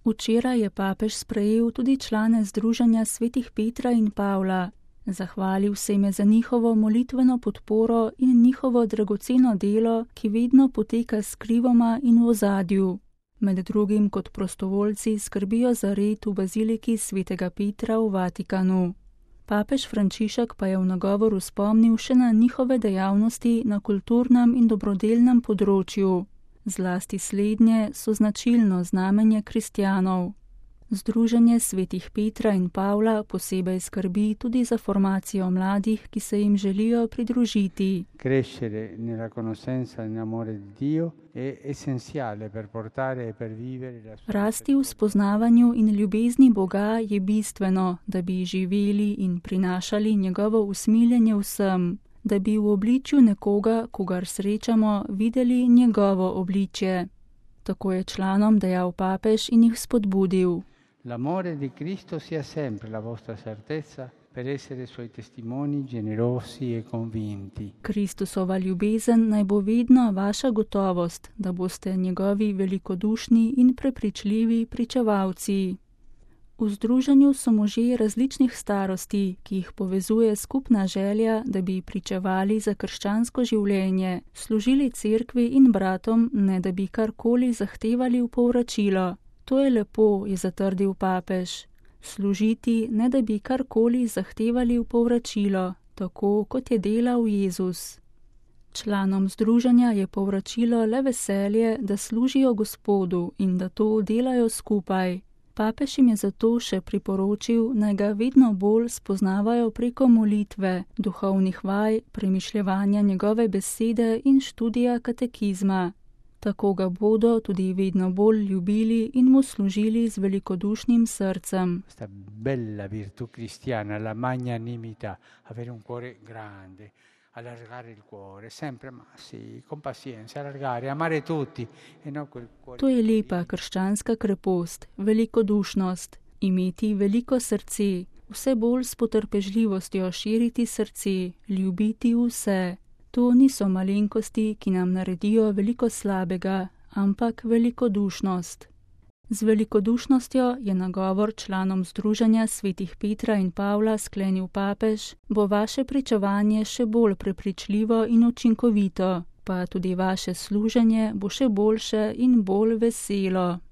Včeraj je papež sprejel tudi člane Združenja svetih Petra in Pavla. Zahvalil se jim je za njihovo molitveno podporo in njihovo dragoceno delo, ki vedno poteka skrivoma in v ozadju. Med drugim kot prostovoljci skrbijo za red v baziliki svetega Petra v Vatikanu. Papež Frančišek pa je v nagovoru spomnil še na njihove dejavnosti na kulturnem in dobrodelnem področju. Zlasti slednje so značilno znamenje kristjanov. Združenje svetih Petra in Pavla posebej skrbi tudi za formacijo mladih, ki se jim želijo pridružiti. Crescere nella conoscenza e nell'amore di Dio è essenziale per portare e per vivere la sua. Rasti v spoznavanju in ljubezni Boga je bistveno, da bi živeli in prinašali njegovo usmiljenje vsem, da bi v obličju nekoga, kogar srečamo, videli njegovo obličje. Tako je članom dejal papež in jih spodbudil. L'amore di Cristo sia sempre la vostra certezza per essere suoi testimoni generosi e convinti. Kristusova ljubezen naj bo vedno vaša gotovost, da boste njegovi velikodušni in prepričljivi pričevalci. V združenju so možje različnih starosti, ki jih povezuje skupna želja, da bi pričevali za krščansko življenje, služili cerkvi in bratom, ne da bi karkoli zahtevali v povračilo. To je lepo, je zatrdil papež. Služiti, ne da bi karkoli zahtevali v povračilo, tako kot je delal Jezus. Članom združenja je povračilo le veselje, da služijo Gospodu in da to delajo skupaj. Papež jim je zato še priporočil, naj ga vedno bolj spoznavajo preko molitve, duhovnih vaj, premišljevanja njegove besede in študija katekizma. Tako ga bodo tudi vedno bolj ljubili in mu služili z velikodušnim srcem. Questa bella virtù cristiana, la magnanimità, avere un cuore grande, allargare il cuore, sempre ma sì, con pazienza, allargare, amare tutti e non quel cuore. To je lepa krščanska krepost, velikodušnost, imeti veliko srce, vse bolj s potrpežljivostjo širiti srce, ljubiti vse. To niso malenkosti, ki nam naredijo veliko slabega, ampak velikodušnost. Z velikodušnostjo je nagovor članom Združenja svetih Petra in Pavla sklenil papež, bo vaše pričevanje še bolj prepričljivo in učinkovito, pa tudi vaše služenje bo še boljše in bolj veselo.